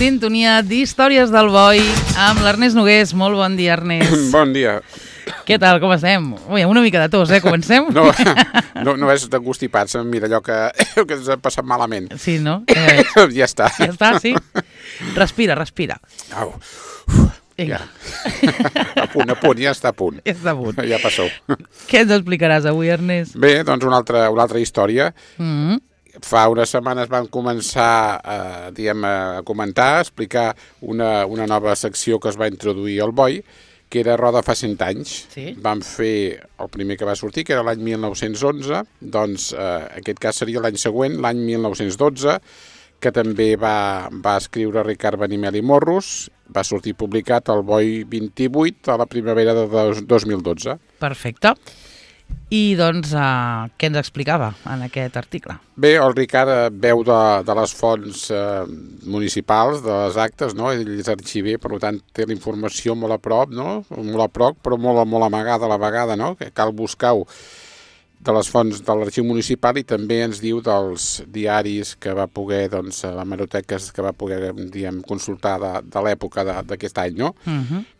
sintonia d'Històries del Boi amb l'Ernest Nogués. Molt bon dia, Ernest. Bon dia. Què tal, com estem? Ui, una mica de tos, Comencem? No és d'engustipats, mira allò que ens ha passat malament. Sí, no? Ja està. Ja està, sí? Respira. Au. Vinga. Ja. A punt, ja està a punt. Ja està a punt. Ja passou. Què ens explicaràs avui, Ernest? Bé, doncs una altra història. Fa unes setmanes vam començar a comentar, a explicar una nova secció que es va introduir al Boi, que era Roda fa 100 anys. Sí. Vam fer el primer que va sortir, que era l'any 1911, doncs aquest cas seria l'any següent, l'any 1912, que també va escriure Ricard Benimel i Morros, va sortir publicat al Boi 28 a la primavera de 2012. Perfecte. I doncs, què ens explicava en aquest article? Bé, el Ricard veu de les fonts municipals, de les actes, no? Ell és arxiver, per tant té la informació molt a prop, no? Molt a prop, però molt amagada a la vegada, no? Que cal buscar-ho de les fonts de l'arxiu municipal, i també ens diu dels diaris que va poder, doncs, les hemeroteques que va poder, consultar de l'època d'aquest any, no?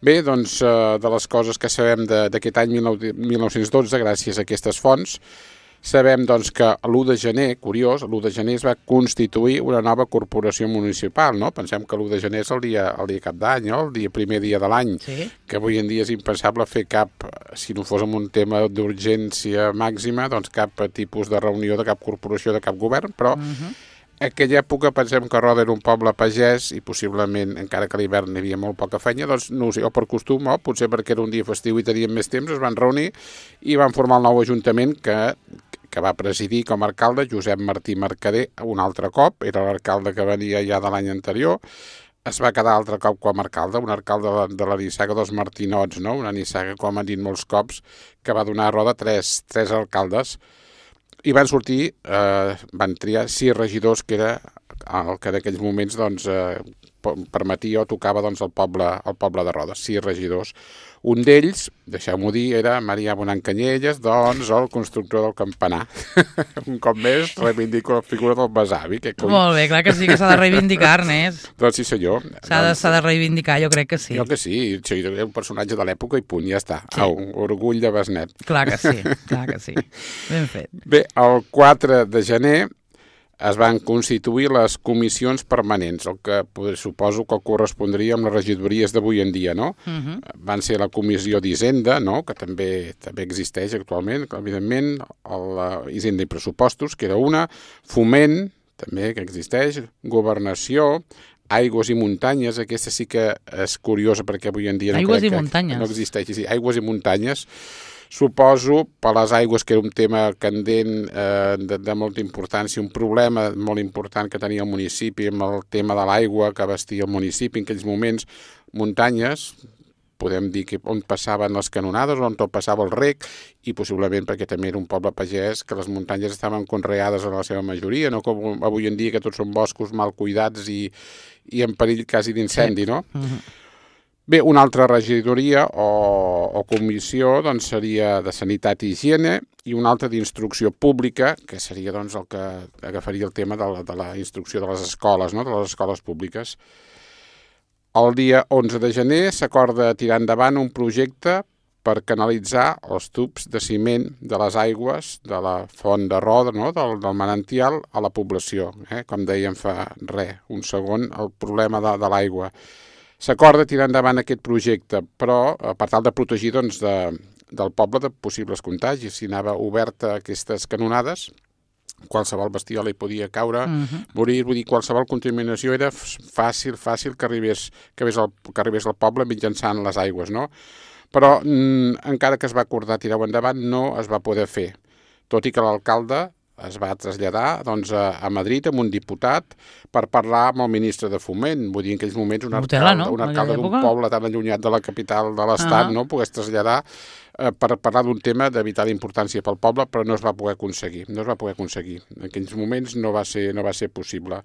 Bé, doncs, de les coses que sabem d'aquest any 1912, gràcies a aquestes fonts, sabem, doncs, que l'1 de gener, curiós, l'1 de gener es va constituir una nova corporació municipal, no? Pensem que l'1 de gener és el dia cap d'any, no? El primer dia de l'any, sí. Que avui en dia és impensable fer cap, si no fos amb un tema d'urgència màxima, doncs cap tipus de reunió de cap corporació, de cap govern, però aquella època pensem que Roda era un poble pagès i possiblement, encara que a l'hivern hi havia molt poca feina, doncs no ho sé, o per costum o potser perquè era un dia festiu i tenien més temps, es van reunir i van formar el nou ajuntament que va presidir com a alcalde Josep Martí Mercader un altre cop, era l'alcalde que venia ja de l'any anterior, es va quedar altre cop com a alcalde, un alcalde de la nissaga dels Martinots, no? Una nissaga, com han dit molts cops, que va donar a Roda tres alcaldes, i van sortir, van triar 6 regidors, que era el que en aquells moments doncs, permetia o tocava doncs, el poble de Roda, 6 regidors. Un d'ells, deixeu-m'ho dir, era Marià Bonan Canyelles, doncs el constructor del campanar. Un cop més reivindico la figura del besavi. Molt bé, clar que sí, que s'ha de reivindicar, Ernest. Doncs sí, senyor. S'ha de reivindicar, jo crec que sí. Jo que sí, soy un personatge de l'època i punt, ja està. Sí. Un orgull de besnet. Clar que sí. Ben fet. Bé, el 4 de gener es van constituir les comissions permanents, el que suposo que correspondria amb les regidories d'avui en dia, no? Van ser la comissió d'Hisenda, no? Que també existeix actualment, evidentment, Hisenda i Pressupostos, que era una, Foment, també, que existeix, Governació, Aigües i Muntanyes, aquesta sí que és curiosa perquè avui en dia no existeix, sí, Aigües i Muntanyes. Suposo, per les aigües, que era un tema candent de molta importància, un problema molt important que tenia el municipi amb el tema de l'aigua que abastia el municipi en aquells moments. Muntanyes, podem dir que on passaven les canonades, on tot passava el rec, i possiblement perquè també era un poble pagès, que les muntanyes estaven conreades en la seva majoria, no com avui en dia que tots són boscos mal cuidats i en perill quasi d'incendi, no? Bé, una altra regidoria o comissió doncs, seria de Sanitat i Higiene, i una altra d'Instrucció Pública, que seria doncs, el que agafaria el tema de la instrucció de les escoles, no? De les escoles públiques. El dia 11 de gener s'acorda tirar endavant un projecte per canalitzar els tubs de ciment de les aigües de la font de Roda, no? del Manantial, a la població. Com dèiem fa un segon, el problema de l'aigua. S'acorda tirar endavant aquest projecte, però per tal de protegir doncs, del poble de possibles contagis. Si anava oberta aquestes canonades, qualsevol bestiola hi podia caure, morir, vull dir, qualsevol contaminació era fàcil que arribés al poble mitjançant les aigües, no? Però encara que es va acordar tirar-ho endavant, no es va poder fer, tot i que l'alcalde es va traslladar doncs, a Madrid amb un diputat per parlar amb el ministre de Foment. Vull dir, en aquells moments un alcalde d'un poble tan allunyat de la capital de l'Estat no pogués traslladar per parlar d'un tema de vital importància pel poble, però no es va poder aconseguir. En aquells moments no va ser possible.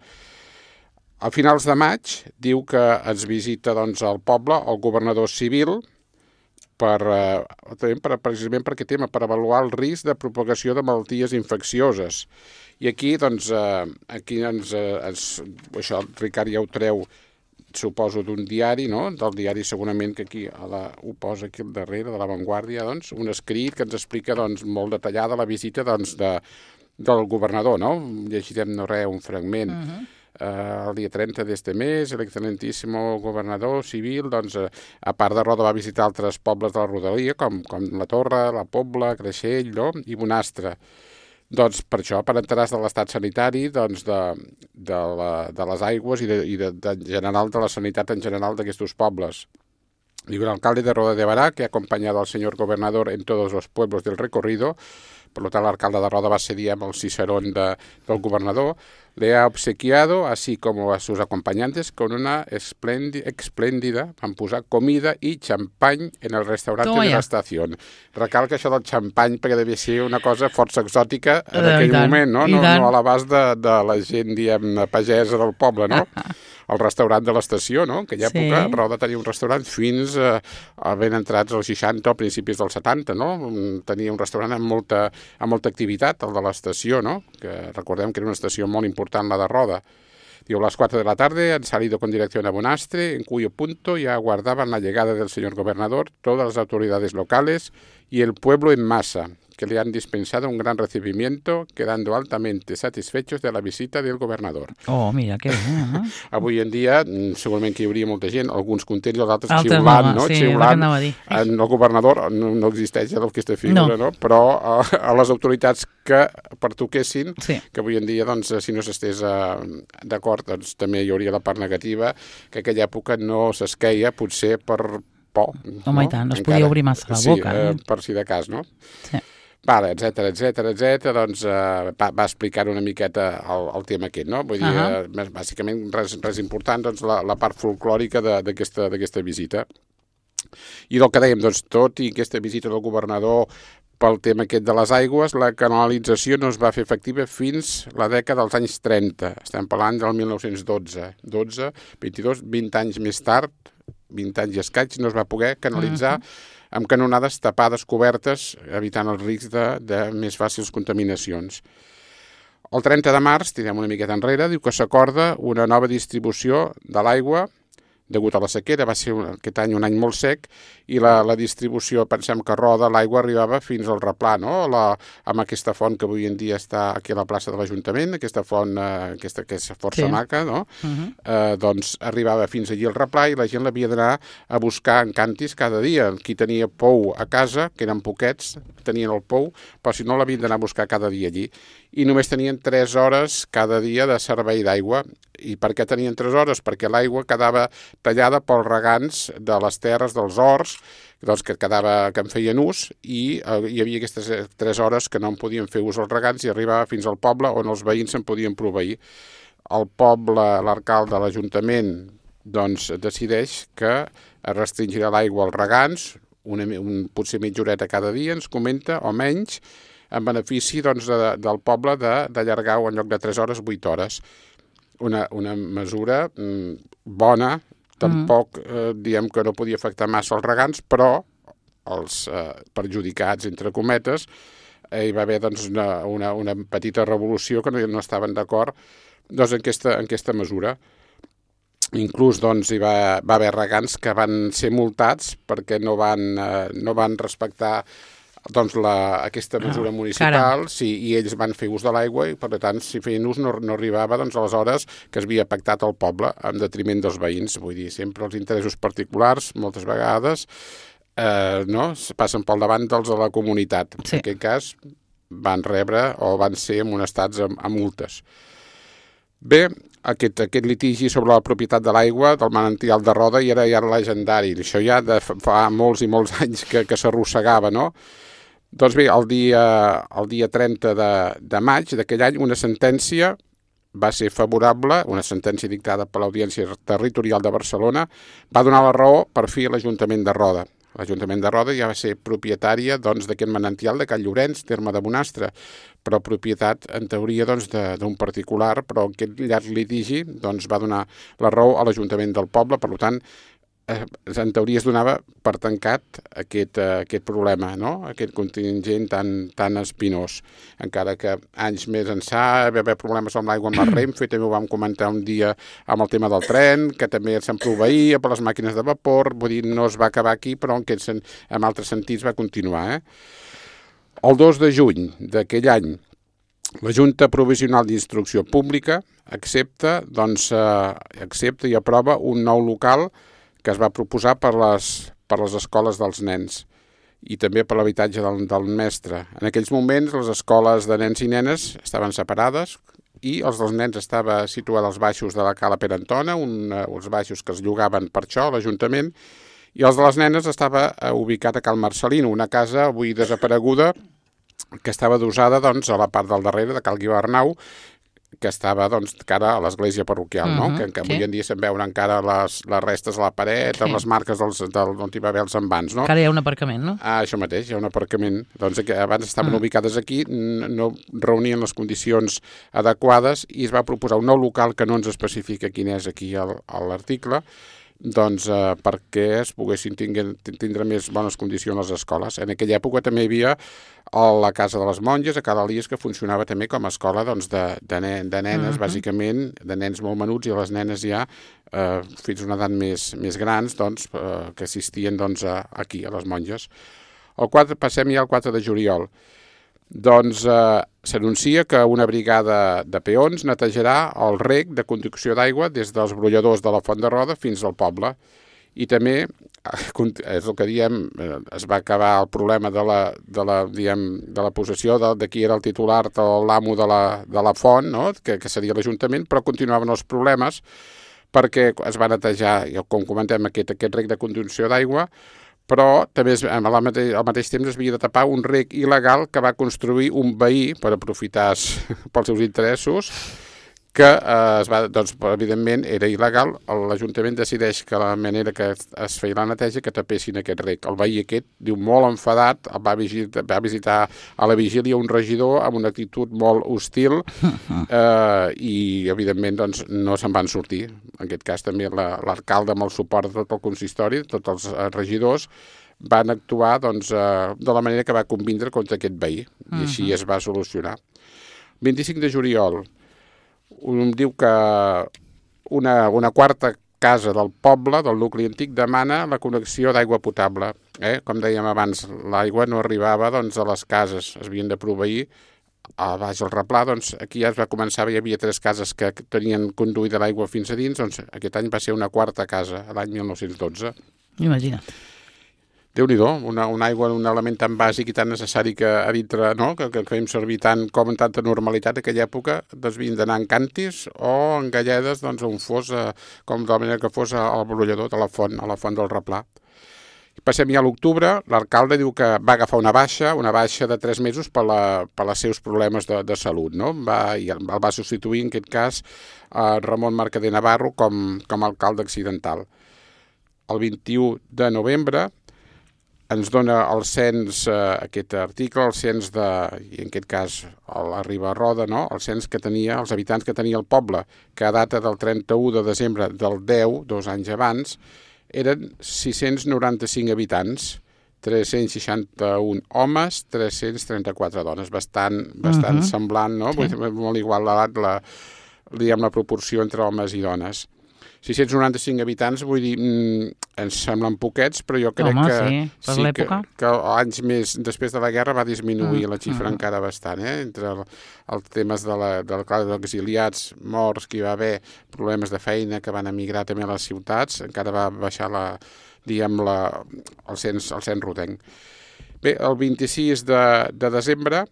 A finals de maig diu que ens visita doncs, al poble el governador civil, precisament per aquest tema, per avaluar el risc de propagació de malalties infeccioses. I aquí, doncs, això el Ricard ja ho treu suposo d'un diari, no? Del diari segurament que aquí ho posa aquí al darrere, de La Vanguardia, doncs, un escrit que ens explica doncs, molt detallada la visita doncs, del governador, no? Llegirem no res, un fragment. El dia 30 d'este mes, el excelentíssimo gobernador civil, doncs, a part de Roda, va visitar altres pobles de la rodalia, com la Torre, la Pobla, Creixell, no? I Bonastre. Doncs per això, per enterar de l'estat sanitari, doncs de les aigües i de general de la sanitat en general d'aquests pobles. Digo, el alcalde de Roda de Bará, que ha acompañado al señor gobernador en todos los pueblos del recorrido, por lo tanto, l'alcalde de Roda va ser, diguem, el cicerón del gobernador, le ha obsequiado, así como a sus acompañantes, con una espléndida, van posar comida i xampany en el restaurante de la estació. Recalca això del xampany perquè devia ser una cosa força exòtica en aquell moment, no? No a l'abast de la gent, diguem, pagesa del poble, no? El restaurant de l'estació, no? En aquella època Roda tenia un restaurant fins ben entrats als 60 o principis dels 70, no? Tenia un restaurant amb molta activitat, el de l'estació, no? Que recordem que era una estació molt important, la de Roda. Digo, a las 4 de la tarde han salido con dirección a Bonastre, en cuyo punto ya aguardaban la llegada del señor gobernador, todas las autoridades locales y el pueblo en masa, que le han dispensado un gran recibimiento, quedando altamente satisfechos de la visita del gobernador. Oh, mira, que bé. Avui en dia, segurament que hi hauria molta gent, alguns contents i els altres xiulant, no? Sí, xiulant. El governador no existeix aquesta figura, no? Però a les autoritats que pertoquessin, que avui en dia, doncs, si no s'estés d'acord, doncs també hi hauria la part negativa, que aquella època no s'esqueia, potser per por. Home, i tant, no es podia obrir massa la boca. Sí, per si de cas, no? Sí. Vale, etcètera, doncs va explicar una miqueta el tema aquest, no? Vull dir, bàsicament res important, doncs la part folclòrica d'aquesta visita. I del que dèiem, doncs tot i aquesta visita del governador pel tema aquest de les aigües, la canalització no es va fer efectiva fins la dècada dels anys 30. Estem parlant del 1912. 20 anys més tard, 20 anys i escaig, no es va poder canalitzar amb canonades tapades, cobertes, evitant els riscs de més fàcils contaminacions. El 30 de març, tirem una miqueta enrere, diu que s'acorda una nova distribució de l'aigua degut a la sequera. Va ser aquest any un any molt sec i la distribució, pensem que a Roda l'aigua arribava fins al replà, no? Amb aquesta font que avui en dia està aquí a la plaça de l'Ajuntament, aquesta font que és força maca, no? Doncs arribava fins allí al replà i la gent l'havia d'anar a buscar en cantis cada dia. Qui tenia pou a casa, que eren poquets, tenien el pou, però si no l'havien d'anar a buscar cada dia allí. I només tenien 3 hores cada dia de servei d'aigua. I per què tenien 3 hores? Perquè l'aigua quedava tallada pels regants de les terres, dels horts, doncs que en feien ús, i hi havia aquestes 3 hores que no en podien fer ús els regants i arribava fins al poble on els veïns se'n podien proveir. El poble, l'alcalde de l'Ajuntament, doncs decideix que es restringirà l'aigua als regants, potser mitja horeta cada dia, ens comenta, o menys, en benefici doncs, del poble d'allargar-ho en lloc de 3 hores, 8 hores. Una mesura bona, tampoc diem que no podia afectar massa els regants, però els perjudicats, entre cometes, hi va haver doncs, una petita revolució que no estaven d'acord doncs, en aquesta mesura. Inclús doncs, hi va haver regants que van ser multats perquè no van respectar doncs aquesta mesura municipal, i ells van fer ús de l'aigua i, per tant, si feien ús no arribava doncs, a les hores que es havia pactat al poble en detriment dels veïns. Vull dir, sempre els interessos particulars, moltes vegades, passen pel davant dels de la comunitat. En aquest cas, van rebre o van ser amonestats amb multes. Bé, aquest litigi sobre la propietat de l'aigua del manantial de Roda ja era legendari. Això ja fa molts i molts anys que s'arrossegava, no? Doncs bé, el dia 30 de maig d'aquell any, una sentència va ser favorable, una sentència dictada per l'Audiència Territorial de Barcelona, va donar la raó per fi a l'Ajuntament de Roda. L'Ajuntament de Roda ja va ser propietària d'aquest manantial de Can Llorenç, terme de Bonastre, però propietat, en teoria, d'un particular, però aquest llarg litigi va donar la raó a l'Ajuntament del poble. Per tant, en teoria es donava per tancat aquest problema, no? Aquest contingent tan espinós. Encara que anys més ençà va haver problemes amb l'aigua amb la Renfe, també ho vam comentar un dia amb el tema del tren, que també se'n proveïa per les màquines de vapor, vull dir, no es va acabar aquí, però en altres sentits va continuar. El 2 de juny d'aquell any, la Junta Provisional d'Instrucció Pública accepta i aprova un nou local que es va proposar per les escoles dels nens i també per l'habitatge del mestre. En aquells moments les escoles de nens i nenes estaven separades i els dels nens estava situat als baixos de la Cala Pere Antona, uns baixos que es llogaven per això a l'Ajuntament, i els de les nenes estava ubicat a Cal Marcelino, una casa avui desapareguda que estava adossada a la part del darrere de Cal Guiu Arnau, que estava cara a l'església parroquial, no? Que avui en dia se'n veuen encara les restes a la paret, amb les marques on hi va haver els envans, no? Que ara hi ha un aparcament, no? Això mateix, hi ha un aparcament. Doncs abans estaven ubicades aquí, no reunien les condicions adequades i es va proposar un nou local que no ens especifica quin és aquí a l'article, perquè es poguessin tindre més bones condicions les escoles. En aquella època també hi havia la Casa de les Monges, a Cal Elies, que funcionava també com a escola de nenes, bàsicament, de nens molt menuts, i les nenes ja fins a una edat més grans, que assistien aquí, a les monges. Passem ja al 4 de juliol. S'anuncia que una brigada de peons netejarà el rec de conducció d'aigua des dels brolladors de la Font de Roda fins al poble. I també, és el que diem, es va acabar el problema de la possessió de qui era el titular o l'amo de la font, no? que seria l'Ajuntament, però continuaven els problemes perquè es va netejar, com comentem, aquest rec de conducció d'aigua, però també al mateix temps es havia de tapar un rec il·legal que va construir un veí per aprofitar pels seus interessos, que evidentment era il·legal. L'Ajuntament decideix que la manera que es feia la neteja que tapessin aquest rec. El veí aquest, diu, molt enfadat, va visitar a la vigília un regidor amb una actitud molt hostil i evidentment no se'n van sortir. En aquest cas també l'alcalde, amb el suport de tot el consistori, tots els regidors, van actuar de la manera que va convindre contra aquest veí i així es va solucionar. 25 de juliol, diu que una quarta casa del poble, del nucli antic, demana la connexió d'aigua potable. Com dèiem abans, l'aigua no arribava a les cases, es havien de proveir a baix del replà. Aquí ja es va començar, hi havia 3 cases que tenien conduïda l'aigua fins a dins, aquest any va ser una quarta casa, l'any 1912. Imagina't. Déu-n'hi-do, una aigua, un element tan bàsic i tan necessari que a dintre, no? que fèiem servir tant com en tanta normalitat en aquella època, havien d'anar en càntirs o en galledes on fos, com de la manera que fos al brollador de la font, a la font del replà. Passem ja a l'octubre, l'alcalde diu que va agafar una baixa de 3 mesos per als seus problemes de salut, no? I el va substituir, en aquest cas, Ramon Mercader Navarro com a alcalde accidental. El 21 de novembre ens dona el cens, aquest article, el cens i en aquest cas la Riba-roda, no? El cens que tenia, els habitants que tenia el poble, que a data del 31 de desembre del 10, 2 anys abans, eren 695 habitants, 361 homes, 334 dones, bastant semblant, no? Sí. Molt igualat la proporció entre homes i dones. 695 habitants, vull dir, ens semblen poquets, però jo crec que anys més després de la guerra va disminuir la xifra encara bastant, entre els temes dels exiliats, morts, que hi va haver problemes de feina que van emigrar també a les ciutats, encara va baixar el cens rotenc. Bé, el 26 de desembre,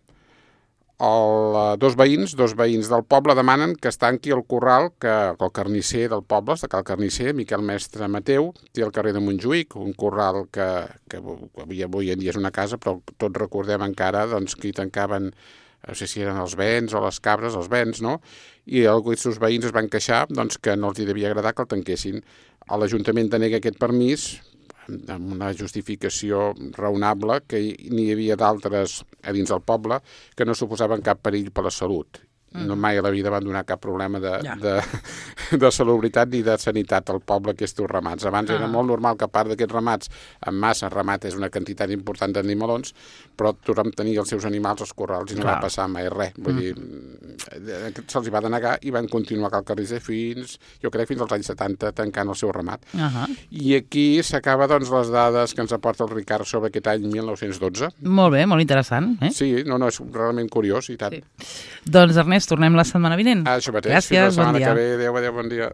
dos veïns del poble demanen que es tanqui el corral que el carnisser del poble, el carnisser Miquel Mestre Mateu, té al carrer de Montjuïc, un corral que avui en dia és una casa, però tots recordem encara que hi tancaven, no sé si eren els bens o les cabres, els bens, no? I els seus veïns es van queixar que no els devia agradar que el tanquessin. L'Ajuntament denega aquest permís amb una justificació raonable, que n'hi havia d'altres a dins del poble que no suposaven cap perill per la salut. no mai a la vida van donar cap problema de salubritat ni de sanitat al poble, aquests ramats. Abans era molt normal que a part d'aquests ramats, en massa, ramat és una quantitat important d'animalons, però tothom tenia els seus animals als corrals i no va passar mai res. Vull dir, se'ls va denegar i van continuar a Cal Carrisser fins als anys 70 tancant el seu ramat. I aquí s'acaba, doncs, les dades que ens aporta el Ricard sobre aquest any 1912. Molt bé, molt interessant. Sí, no, és realment curiós i tant. Doncs, Ernest, tornem la setmana vinent. Això mateix. Gràcies, fins la setmana bon dia. que ve. Adéu, bon dia.